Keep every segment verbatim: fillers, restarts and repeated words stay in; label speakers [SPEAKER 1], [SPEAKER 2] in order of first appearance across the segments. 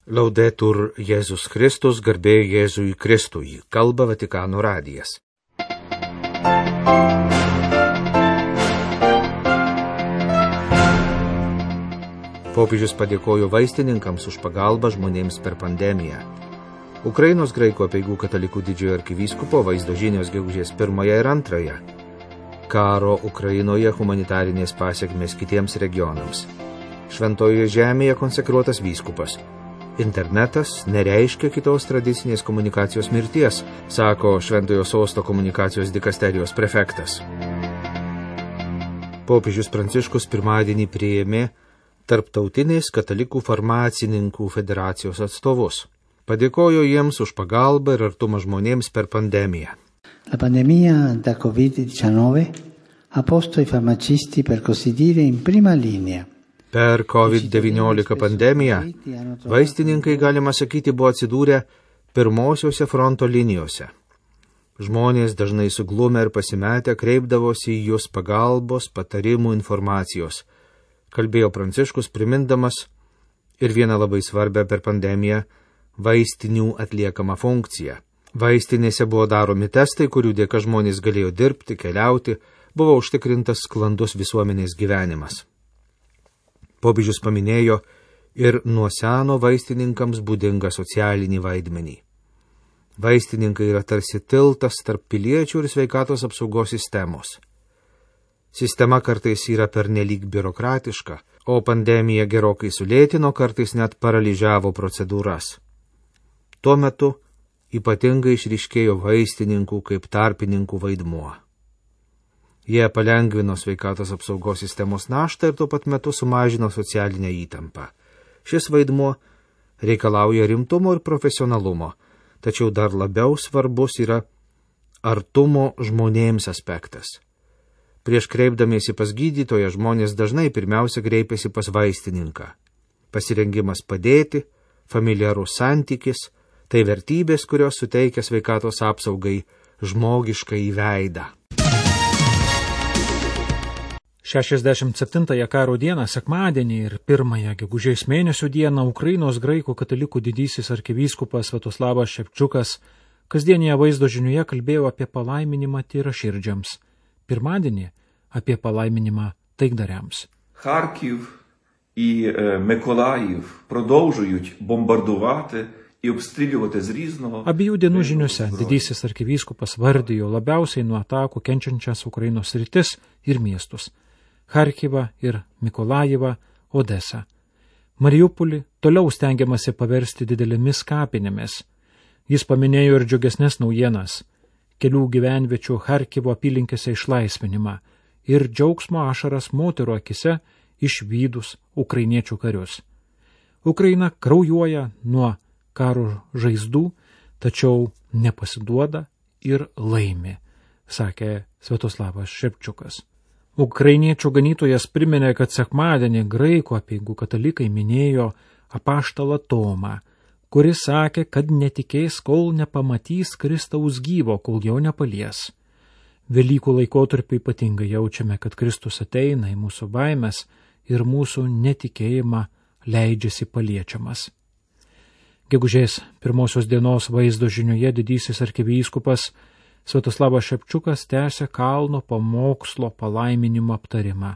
[SPEAKER 1] Laudetur Jėzus Kristus, garbė Jėzui Kristui, kalba Vatikano radijas. Popiežius padėkojo vaistininkams už pagalbą žmonėms per pandemiją. Ukrainos graikų apeigų katalikų didžiojo arkivyskupo vaizdo žinios gegužės pirmąją ir antrąją. Karo Ukrainoje humanitarinės pasiekmės kitiems regionams. Šventojoje žemėje konsekruotas vyskupas. Internetas nereiškia kitos tradicinės komunikacijos mirties, sako Šventojo sosto komunikacijos dikasterijos prefektas. Popiežius Pranciškus pirmadienį priėmė Tarptautinės katalikų farmacininkų federacijos atstovus. Padėkojo jiems už pagalbą ir artumą žmonėms per pandemiją.
[SPEAKER 2] La pandemia da covid diciannove ha posto i farmacisti, per così dire, in prima linea.
[SPEAKER 1] Per covid devyniolika pandemiją vaistininkai, galima sakyti, buvo atsidūrę pirmosiuose fronto linijose. Žmonės dažnai suglumę ir pasimetę kreipdavosi į jūs pagalbos, patarimų, informacijos. Kalbėjo Pranciškus, primindamas ir vieną labai svarbę per pandemiją vaistinių atliekamą funkciją. Vaistinėse buvo daromi testai, kurių dėka žmonės galėjo dirbti, keliauti, buvo užtikrintas sklandus visuomenės gyvenimas. Popiežius paminėjo ir nuo seno vaistininkams būdingą socialinį vaidmenį. Vaistininkai yra tarsi tiltas tarp piliečių ir sveikatos apsaugos sistemos. Sistema kartais yra pernelyg biurokratiška, o pandemija gerokai sulėtino, kartais net paralyžiavo procedūras. Tuo metu ypatingai išryškėjo vaistininkų kaip tarpininkų vaidmuo. Jie palengvino sveikatos apsaugos sistemos naštą ir tuo pat metu sumažino socialinę įtampą. Šis vaidmuo reikalauja rimtumo ir profesionalumo, tačiau dar labiau svarbus yra artumo žmonėms aspektas. Prieš kreipdamiesi pas gydytoją žmonės dažnai pirmiausia kreipiasi pas vaistininką. Pasirengimas padėti, familiarus santykis – tai vertybės, kurios suteikia sveikatos apsaugai žmogišką įveidą.
[SPEAKER 3] šešiasdešimt septintąją karo dieną, sekmadienį ir pirmąją gegužės mėnesio dieną Ukrainos graikų katalikų didysis arkivyskupas Sviatoslavas Ševčiukas kasdienėje vaizdo žinioje kalbėjo apie palaiminimą tyraširdžiams, pirmadienį apie palaiminimą taikdariams.
[SPEAKER 4] Харків і Миколаїв продовжують бомбардувати і обстрілювати з різного.
[SPEAKER 3] Abiejų dienų žiniose didysis arkivyskupas vardijo labiausiai nuo atakų kenčiančias Ukrainos sritis ir miestus – Charkivą ir Mikolajivą, Odesą. Mariupolį toliau stengiamasi paversti didelėmis kapinėmis. Jis paminėjo ir džiugesnes naujienas – kelių gyvenviečių Charkivo apylinkėse išlaisvinimą ir džiaugsmo ašaras moterų akise išvydus ukrainiečių karius. Ukraina kraujuoja nuo karo žaizdų, tačiau nepasiduoda ir laimi, sakė Sviatoslavas Ševčiukas. Ukrainiečių ganytojas priminė, kad sekmadienį graikų apeigų katalikai minėjo apaštalą Tomą, kuris sakė, kad netikės, kol nepamatys Kristaus gyvo, kol jo nepalies. Velykų laikotarpiu ypatingai jaučiame, kad Kristus ateina į mūsų baimės ir mūsų netikėjimą leidžiasi paliečiamas. Gegužės pirmosios dienos vaizdo žinioje didysis arkivyskupas Sviatoslavas Ševčiukas tęsė kalno pamokslo palaiminimo aptarimą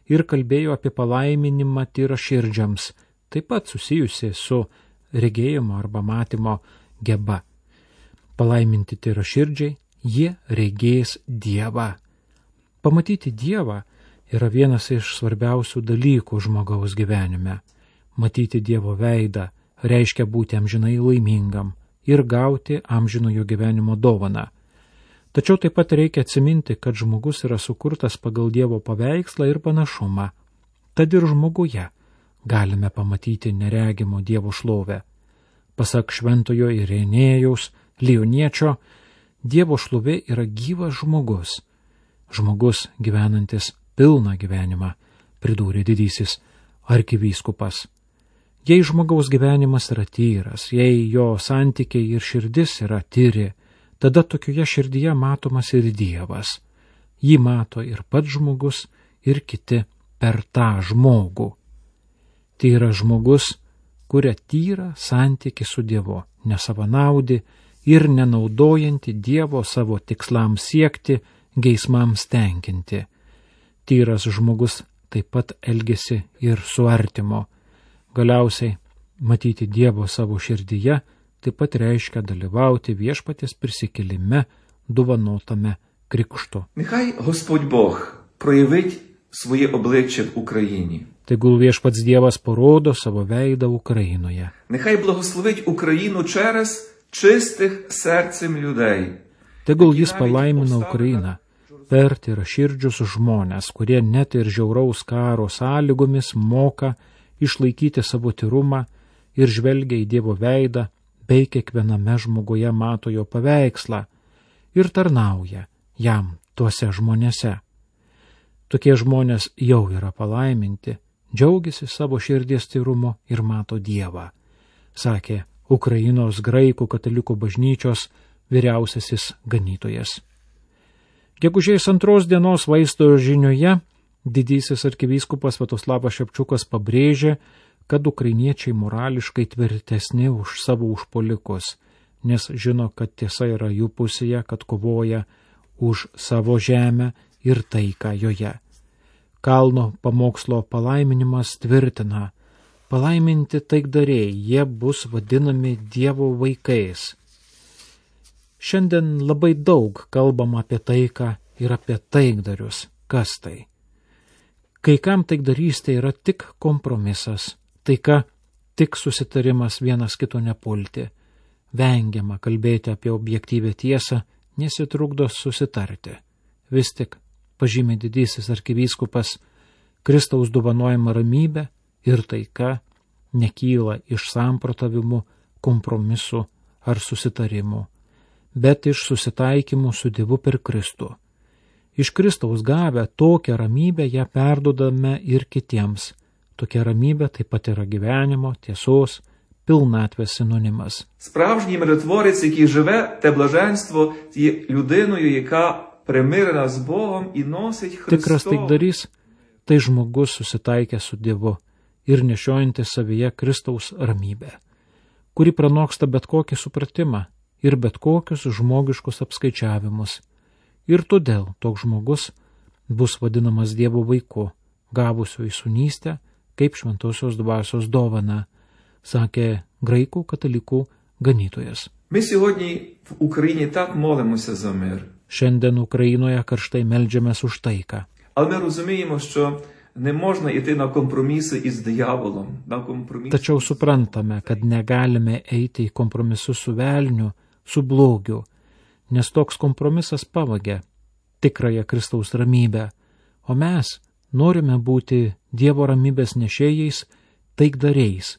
[SPEAKER 3] ir kalbėjo apie palaiminimą tyraširdžiams, taip pat susijusi su regėjimo arba matymo geba. Palaiminti tyraširdžiai, jie regės Dievą. Pamatyti Dievą yra vienas iš svarbiausių dalykų žmogaus gyvenime. Matyti Dievo veidą reiškia būti amžinai laimingam ir gauti amžinojo gyvenimo dovaną. Tačiau taip pat reikia atsiminti, kad žmogus yra sukurtas pagal Dievo paveikslą ir panašumą. Tad ir žmoguje galime pamatyti neregimo Dievo šlovę. Pasak šventojo Irenėjaus Lioniečio, Dievo šlovė yra gyvas žmogus. Žmogus gyvenantis pilną gyvenimą, pridūrė didysis arkivyskupas. Jei žmogaus gyvenimas yra tyras, jei jo santykiai ir širdis yra tyri, tada tokioje širdyje matomas ir Dievas. Jį mato ir pats žmogus, ir kiti per tą žmogų. Tai yra žmogus, kuria tyrą santykį su Dievu, nesavanaudį ir nenaudojantį Dievo savo tikslams siekti, geismams tenkinti. Tyras žmogus taip pat elgesi ir su artimo. Galiausiai, matyti Dievo savo širdyje taip pat reiškia dalyvauti viešpaties prisikėlime dovanotame krikštu.
[SPEAKER 4] Нехай Господь Бог проявить своє обличчя в Україні.
[SPEAKER 3] Tegul viešpats Dievas parodo savo veidą Ukrainoje.
[SPEAKER 4] Нехай благословить Україну через чистих серцем людей.
[SPEAKER 3] Tegul jis palaimina Ukrainą per tyraširdžius žmonės, kurie net ir žiauraus karo sąlygomis moka išlaikyti savo tyrumą ir žvelgia į Dievo veidą, bei kiekviename žmoguje mato jo paveikslą ir tarnauja jam tuose žmonėse. Tokie žmonės jau yra palaiminti, džiaugiasi savo širdies tyrumu ir mato Dievą, sakė Ukrainos graikų katalikų bažnyčios vyriausiasis ganytojas. Gegužės antros dienos vaisto žinioje didysis arkivyskupas Sviatoslavas Šepčiukas pabrėžė, kad ukrainiečiai morališkai tvirtesni už savo užpuolikus, nes žino, kad tiesa yra jų pusėje, kad kovoja už savo žemę ir taiką joje. Kalno pamokslo palaiminimas tvirtina, palaiminti taikdariai, jie bus vadinami Dievo vaikais. Šiandien labai daug kalbam apie taiką ir apie taikdarius. Kas tai? Kai kam taikdarystė yra tik kompromisas, taika tik susitarimas vienas kito nepulti. Vengiama kalbėti apie objektyvę tiesą, nesitrukdo susitarti. Vis tik, pažymė didysis arkivyskupas, Kristaus dovanojama ramybė ir taika nekyla iš samprotavimų, kompromisų ar susitarimų, bet iš susitaikymų su Dievu per Kristų. Iš Kristaus gavę tokią ramybę ją perdodame ir kitiems. Tokia ramybė taip pat yra gyvenimo, tiesos, pilnatvės sinonimas.
[SPEAKER 4] Справжній миротворець, який живе, те блаженство, є людиною, яка примирена з Богом і носить Христос.
[SPEAKER 3] Tikras taikdarys – tai žmogus susitaikęs su Dievu ir nešiojantis savyje Kristaus ramybę, kuri pranoksta bet kokį supratimą ir bet kokius žmogiškus apskaičiavimus. Ir todėl toks žmogus bus vadinamas Dievo vaiku, gavusiu į sūnystę kaip šventosios dvasios dovana, sakė graikų katalikų ganytojas.
[SPEAKER 4] Ми сьогодні в Україні так молимося за мир.
[SPEAKER 3] Šiandien Ukrainoje karštai meldžiamės už taiką.
[SPEAKER 4] Але ми розуміємо, що не можна йти на компроміси із дияволом, на компроміси.
[SPEAKER 3] Tačiau suprantame, kad negalime eiti į kompromisus su velniu, su blogiu, nes toks kompromisas pavagia tikrąją Kristaus ramybę, o mes norime būti Dievo ramybės nešėjais, taikdariais,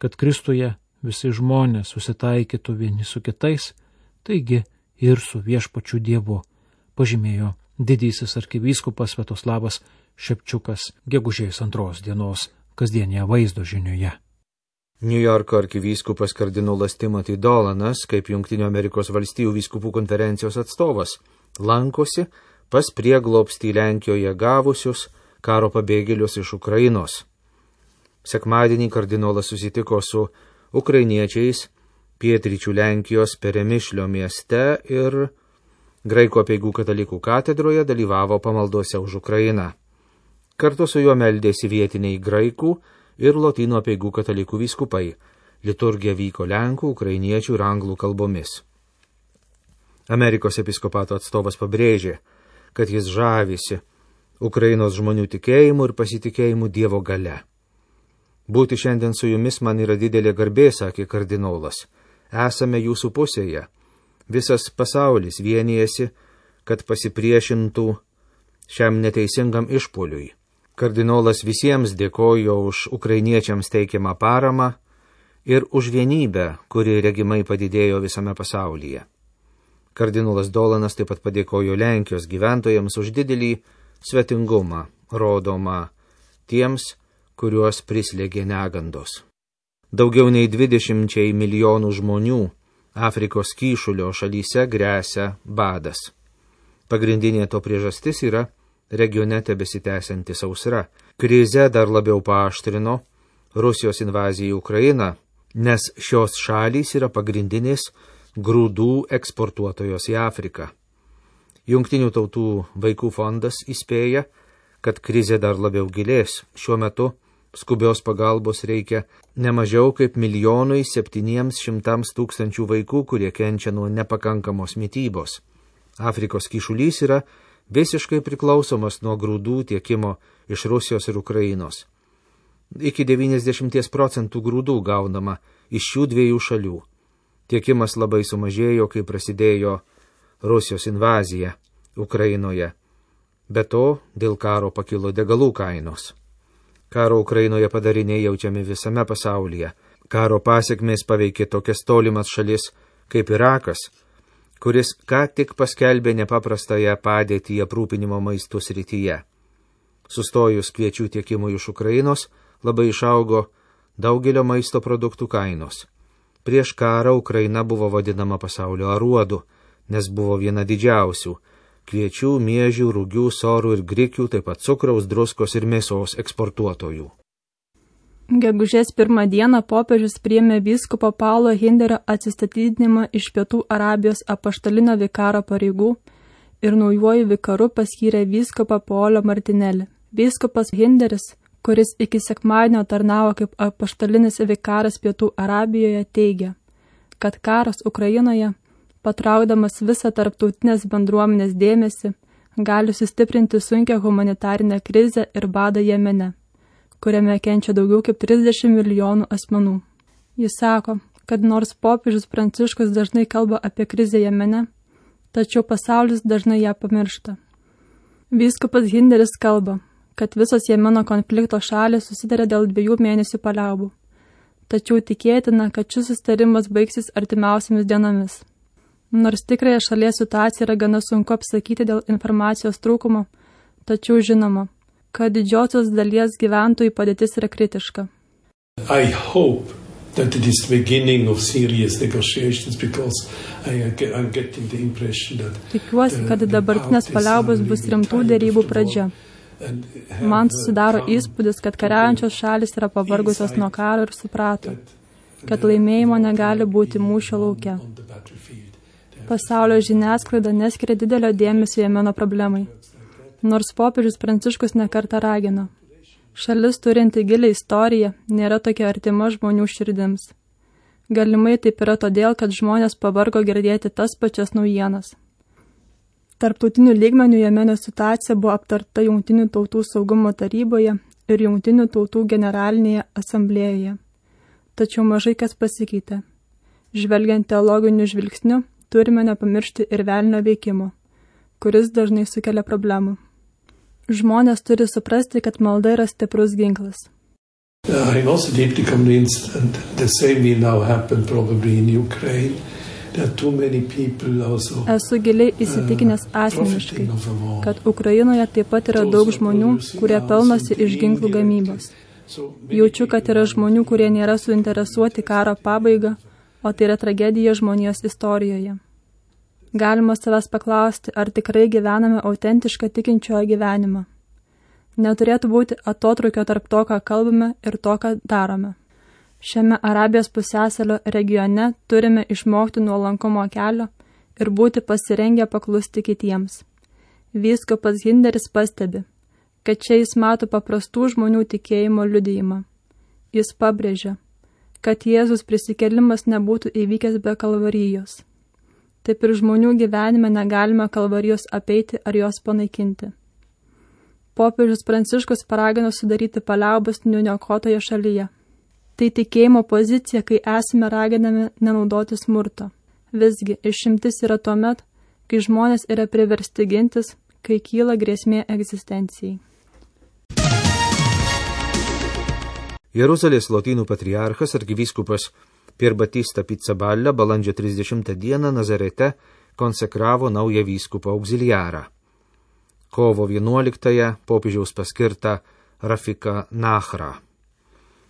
[SPEAKER 3] kad Kristuje visi žmonės susitaikytų vieni su kitais, taigi ir su viešpačiu Dievu, pažymėjo didysis arkivyskupas Sviatoslavas Šepčiukas gegužės antros dienos kasdienėje vaizdo žinioje.
[SPEAKER 1] Niujorko arkivyskupas kardinolas Timothy Dolanas, kaip Jungtinių Amerikos valstijų vyskupų konferencijos atstovas, lankosi pas prieglobstį Lenkijoje gavusius karo pabėgėlius iš Ukrainos. Sekmadienį kardinolas susitiko su ukrainiečiais pietryčių Lenkijos Peremišlio mieste ir Graikų apeigų katalikų katedroje dalyvavo pamaldose už Ukrainą. Kartu su juo meldėsi vietiniai graikų ir lotynų apeigų katalikų vyskupai. Liturgija vyko lenkų, ukrainiečių ir anglų kalbomis. Amerikos episkopato atstovas pabrėžė, kad jis žavisi Ukrainos žmonių tikėjimu ir pasitikėjimu Dievo galia. Būti šiandien su jumis man yra didelė garbė, sakė kardinolas. Esame jūsų pusėje. Visas pasaulis vienijasi, kad pasipriešintų šiam neteisingam išpuoliui. Kardinolas visiems dėkojo už ukrainiečiams teikiamą paramą ir už vienybę, kuri regimai padidėjo visame pasaulyje. Kardinolas Dolanas taip pat padėkojo Lenkijos gyventojams už didelį svetingumą, rodomą tiems, kuriuos prislėgė negandos. Daugiau nei dvidešimčiai milijonų žmonių Afrikos kyšulio šalyse gresia badas. Pagrindinė to priežastis yra regione tebesitęsianti sausra. Krize dar labiau paaštrino Rusijos invazijai į Ukrainą, nes šios šalys yra pagrindinės grūdų eksportuotojos į Afriką. Jungtinių tautų vaikų fondas įspėja, kad krizė dar labiau gilės. Šiuo metu skubios pagalbos reikia ne mažiau kaip milijonui septyniems šimtams tūkstančių vaikų, kurie kenčia nuo nepakankamos mitybos. Afrikos kyšulys yra visiškai priklausomas nuo grūdų tiekimo iš Rusijos ir Ukrainos. Iki devyniasdešimt procentų grūdų gaunama iš šių dviejų šalių. Tiekimas labai sumažėjo, kai prasidėjo Rusijos invazija Ukrainoje. Be to, dėl karo pakilo degalų kainos. Karo Ukrainoje padariniai jaučiami visame pasaulyje. Karo pasiekmės paveikė tokias tolimas šalis kaip Irakas, kuris ką tik paskelbė nepaprastąją padėtį aprūpinimo maistų srityje. Sustojus kviečių tiekimui iš Ukrainos, labai išaugo daugelio maisto produktų kainos. Prieš karą Ukraina buvo vadinama pasaulio aruodu, nes buvo viena didžiausių kviečių, miežių, rugių, sorų ir grikių, taip pat cukraus, druskos ir mėsos eksportuotojų.
[SPEAKER 5] Gegužės pirmą dieną popiežius priėmė vyskupo Paulo Hinderio atsistatydinimą iš Pietų Arabijos apaštalinio vikaro pareigų ir naujuoju vikaru paskyrė vyskupą Paolo Martinelį. Vyskupas Hinderis, kuris iki sekmadienio tarnavo kaip apaštalinis vikaras Pietų Arabijoje, teigia, kad karas Ukrainoje, patraukdamas visą tarptautinės bendruomenės dėmesį, gali sustiprinti sunkią humanitarinę krizę ir badą Jemene, kuriame kenčia daugiau kaip trisdešimt milijonų asmenų. Jis sako, kad nors popiežius Pranciškus dažnai kalba apie krizę Jemene, tačiau pasaulis dažnai ją pamiršta. Vyskupas Hinderis kalba, kad visos Jemeno konflikto šalys susitarė dėl dviejų mėnesių paliaubų, tačiau tikėtina, kad šis susitarimas baigsis artimiausiamis dienomis. Nors tikrąją šalies situaciją yra gana sunku apsakyti dėl informacijos trūkumo, tačiau žinoma, kad didžiosios dalies gyventojų padėtis yra kritiška.
[SPEAKER 6] I hope that it is the beginning of serious negotiations because I am getting the impression that
[SPEAKER 5] Tikiuosi, kad dabartinės paliaubos bus rimtų dėrybų pradžia. Man susidaro įspūdis, kad kariaujančios šalis yra pavargusios nuo karo ir suprato, kad laimėjimo negali būti mūšio lauke. Pasaulio žiniasklaida neskiria didelio dėmesio Jemeno problemai, nors popiežius Pranciškus nekartą ragino. Šalis turinti gilią istoriją nėra tokia artima žmonių širdims. Galimai taip yra todėl, kad žmonės pavargo girdėti tas pačias naujienas. Tarptautinių lygmenių Jemeno situacija buvo aptarta Jungtinių tautų saugumo taryboje ir Jungtinių tautų generalinėje asamblėjoje. Tačiau mažai kas pasikeitė. Žvelgiant teologiniu žvilgsniu, turime nepamiršti ir velnio veikimo, kuris dažnai sukelia problemų. Žmonės turi suprasti, kad malda yra stiprus ginklas.
[SPEAKER 6] I'm also deeply convinced, and the same will now happen probably in Ukraine, that too many people also
[SPEAKER 5] Esu giliai įsitikinęs asmeniškai, kad Ukrainoje taip pat yra daug žmonių, kurie pelnosi iš ginklų gamybos. Jaučiu, kad yra žmonių, kurie nėra suinteresuoti karo pabaigą, o tai yra tragedija žmonijos istorijoje. Galima savęs paklausti, ar tikrai gyvename autentišką tikinčiojo gyvenimą. Neturėtų būti atotrukio tarp to, ką kalbame ir to, ką darome. Šiame Arabijos pusiasalio regione turime išmokti nuolankumo kelio ir būti pasirengę paklusti kitiems. Vyskupas Hinderis pastebi, kad čia jis mato paprastų žmonių tikėjimo liudijimą. Jis pabrėžia, kad Jėzus prisikėlimas nebūtų įvykęs be kalvarijos. Taip ir žmonių gyvenime negalime kalvarijos apeiti ar jos panaikinti. Popiežius Pranciškus paragino sudaryti paliaubas nuniokotoje šalyje. Tai tikėjimo pozicija, kai esame raginami nenaudoti smurto. Visgi išimtis yra tuomet, kai žmonės yra priversti gintis, kai kyla grėsmė egzistencijai.
[SPEAKER 1] Jeruzalės Lotynų patriarchas arkivyskupas Pier Batista Pizzaballa balandžio trisdešimtą dieną Nazarete konsekravo naują vyskupą auxiliarą. Kovo vienuoliktąją popiežiaus paskirta Rafika Nachra.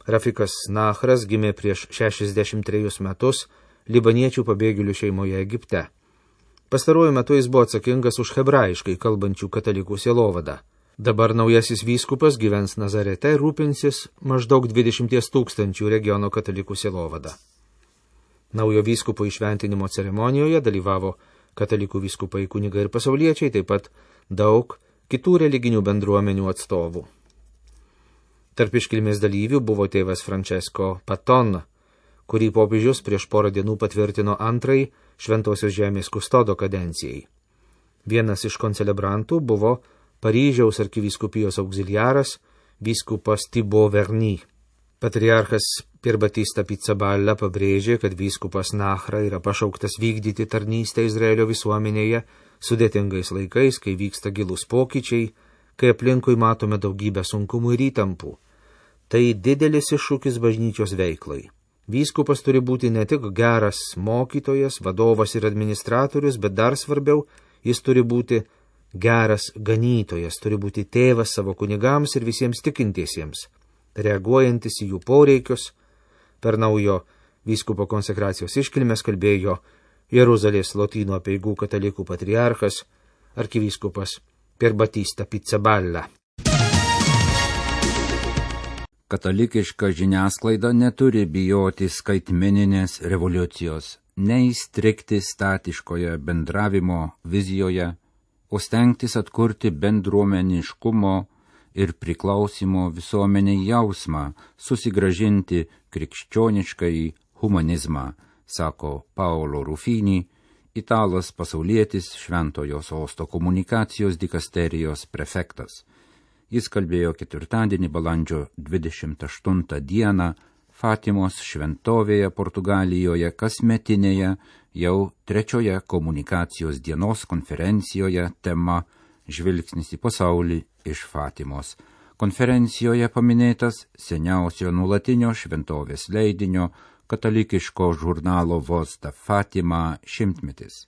[SPEAKER 1] Rafikas Nachras gimė prieš šešiasdešimt trejus metus libaniečių pabėgėlių šeimoje Egipte. Pastaruoju metu jis buvo atsakingas už hebrajiškai kalbančių katalikų sielovadą. Dabar naujasis vyskupas gyvens Nazarete ir rūpinsis maždaug dvidešimties tūkstančių regiono katalikų sielovada. Naujo vyskupo įšventinimo ceremonijoje dalyvavo katalikų vyskupai, kunigai ir pasauliečiai, taip pat daug kitų religinių bendruomenių atstovų. Tarp iškilmės dalyvių buvo tėvas Francesco Paton, kurį popiežius prieš porą dienų patvirtino antrai Šventosios žemės kustodo kadencijai. Vienas iš koncelebrantų buvo Paryžiaus arkivyskupijos auxiliaras vyskupas Thibaut Verny. Patriarchas Pier Battista Pizzaballa pabrėžė, kad vyskupas Nachra yra pašauktas vykdyti tarnystę Izraelio visuomenėje sudėtingais laikais, kai vyksta gilūs pokyčiai, kai aplinkui matome daugybę sunkumų ir įtampų. Tai didelis iššūkis bažnyčios veiklai. Vyskupas turi būti ne tik geras mokytojas, vadovas ir administratorius, bet dar svarbiau, jis turi būti geras ganytojas, turi būti tėvas savo kunigams ir visiems tikintiesiems, reaguojantis į jų poreikius. Per naujo vyskupo konsekracijos iškilmės kalbėjo Jeruzalės Lotynų apeigų katalikų patriarchas arkivyskupas Pier Battista Pizzaballa.
[SPEAKER 7] Katalikiška žiniasklaida neturi bijoti skaitmeninės revoliucijos, neįstrigti statiškoje bendravimo vizijoje, o stengtis atkurti bendruomeniškumo ir priklausimo visuomeniai jausmą, susigrąžinti krikščioniškąjį humanizmą, sako Paolo Rufini, italas pasaulietis Šventojo Sosto komunikacijos dikasterijos prefektas. Jis kalbėjo ketvirtadienį balandžio dvidešimt aštuntą dieną Fatimos šventovėje Portugalijoje kasmetinėje jau trečioje komunikacijos dienos konferencijoje tema Žvilgsnis į pasaulį iš Fatimos. Konferencijoje paminėtas seniausio nuolatinio šventovės leidinio katalikiško žurnalo Voz da Fatima šimtmetis.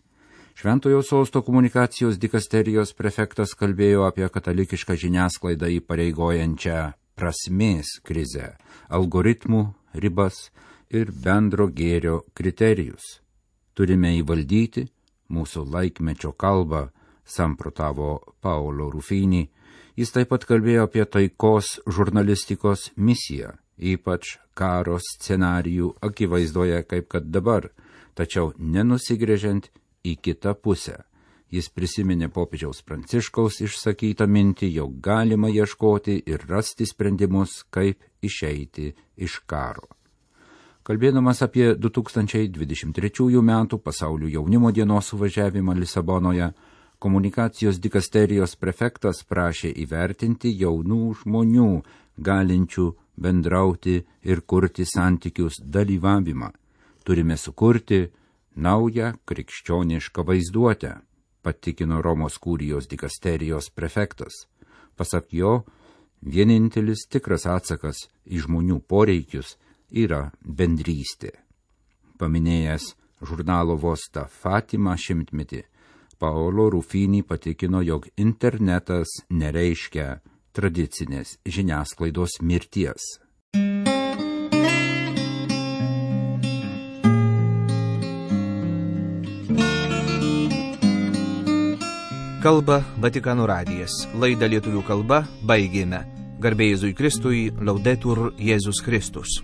[SPEAKER 7] Šventojo Sosto komunikacijos dikasterijos prefektas kalbėjo apie katalikišką žiniasklaidą įpareigojančią prasmės krizę, algoritmų ribas ir bendro gėrio kriterijus. Turime įvaldyti mūsų laikmečio kalbą, samprotavo Paolo Rufini. Jis taip pat kalbėjo apie taikos žurnalistikos misiją, ypač karo scenarijų akivaizdoje kaip kad dabar, tačiau nenusigręžiant į kitą pusę. Jis prisiminė popiežiaus Pranciškaus išsakytą mintį, jog galima ieškoti ir rasti sprendimus, kaip išeiti iš karo. Kalbėdamas apie du tūkstančiai dvidešimt trečiųjų metų pasaulio jaunimo dienos suvažiavimą Lisabonoje, komunikacijos dikasterijos prefektas prašė įvertinti jaunų žmonių, galinčių bendrauti ir kurti santykius dalyvavimą. Turime sukurti naują krikščionišką vaizduotę, patikino Romos kurijos dikasterijos prefektas. Pasak jo, vienintelis tikras atsakas į žmonių poreikius yra bendrystė. Paminėjęs žurnalo Voz da Fatima šimtmetį, Paolo Rufini patikino, jog internetas nereiškia tradicinės žiniasklaidos mirties.
[SPEAKER 1] Kalba Vatikano radijas. Laidą lietuvių kalba baigėme. Garbė Jėzui Kristui, Laudetur Jėzus Kristus.